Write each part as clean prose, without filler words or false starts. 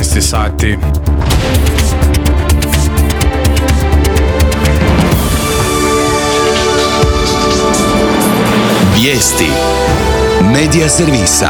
16 sati. Vijesti Medija servisa.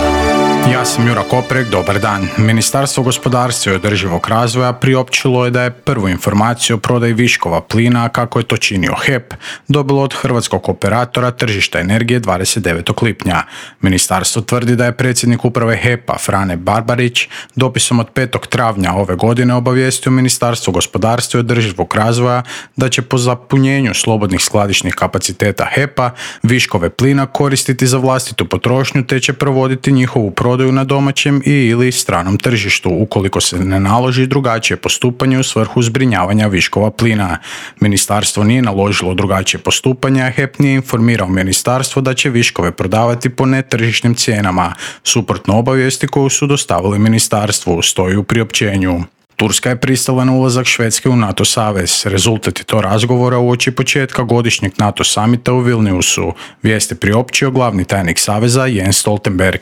Ja sam Jura Koprek, dobar dan. Ministarstvo gospodarstva i održivog razvoja priopćilo je da je prvu informaciju o prodaji viškova plina, kako je to činio HEP, dobilo od hrvatskog operatora tržišta energije 29. lipnja. Ministarstvo tvrdi da je predsjednik uprave HEP-a Frane Barbarić dopisom od 5. travnja ove godine obavijestio Ministarstvo gospodarstva i održivog razvoja da će po zapunjenju slobodnih skladišnih kapaciteta HEP-a viškove plina koristiti za vlastitu potrošnju te će provoditi njihovu prodaju na domaćem i ili stranom tržištu ukoliko se ne naloži drugačije postupanje u svrhu zbrinjavanja viškova plina. Ministarstvo nije naložilo drugačije postupanje, a HEP nije informirao ministarstvo da će viškove prodavati po netržišnim cijenama, suprotno obavijesti koju su dostavili ministarstvu, stoji u priopćenju. Turska je pristala na ulazak Švedske u NATO savez. Rezultat je to razgovora uoči početka godišnjeg NATO samita u Vilniusu. Vijest je priopćio glavni tajnik saveza Jens Stoltenberg.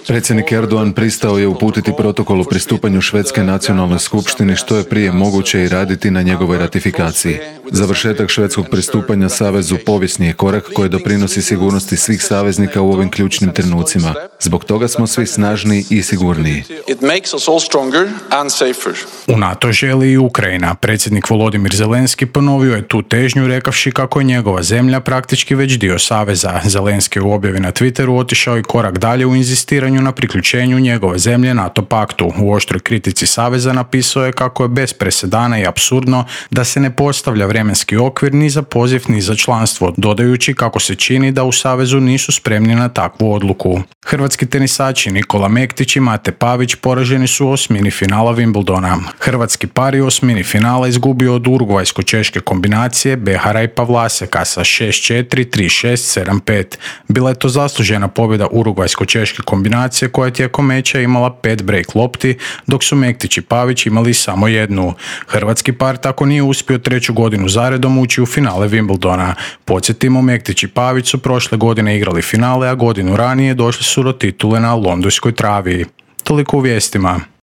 Predsjednik Erdogan pristao je uputiti protokol o pristupanju Švedske nacionalnoj skupštini što je prije moguće i raditi na njegovoj ratifikaciji. Završetak švedskog pristupanja savezu povijesni je korak koji doprinosi sigurnosti svih saveznika u ovim ključnim trenucima. Zbog toga smo svi snažniji i sigurniji. U NATO želi i Ukrajina. Predsjednik Volodimir Zelenski ponovio je tu težnju rekavši kako je njegova zemlja praktički već dio saveza. Zelenski u objavi na Twitteru otišao i korak dalje u inzistiranju na priključenju njegove zemlje NATO paktu. U oštroj kritici saveza napisao je kako je bez presedana i apsurdno da se ne postavlja vremenski okvir ni za poziv ni za članstvo, dodajući kako se čini da u savezu nisu spremni na takvu odluku. Hrvatski tenisači Nikola Mektić i Mate Pavić poraženi su u osmini finala Wimbledona. Hrvatski par je u osmini finala izgubio od urugvajsko-češke kombinacije Behara i Pavlaseka sa 6-4, 3-6, 7-5. Bila je to zaslužena pobjeda urugvajsko-češke kombinacije koja je tijekom meča imala 5 break lopti, dok su Mektić i Pavić imali samo jednu. Hrvatski par tako nije uspio treću godinu zaredom ući u finale Wimbledona. Podsjetimo, Mektić i Pavić su prošle godine igrali finale, a godinu ranije došli su do titule na londonskoj travi. Toliko u vijestima.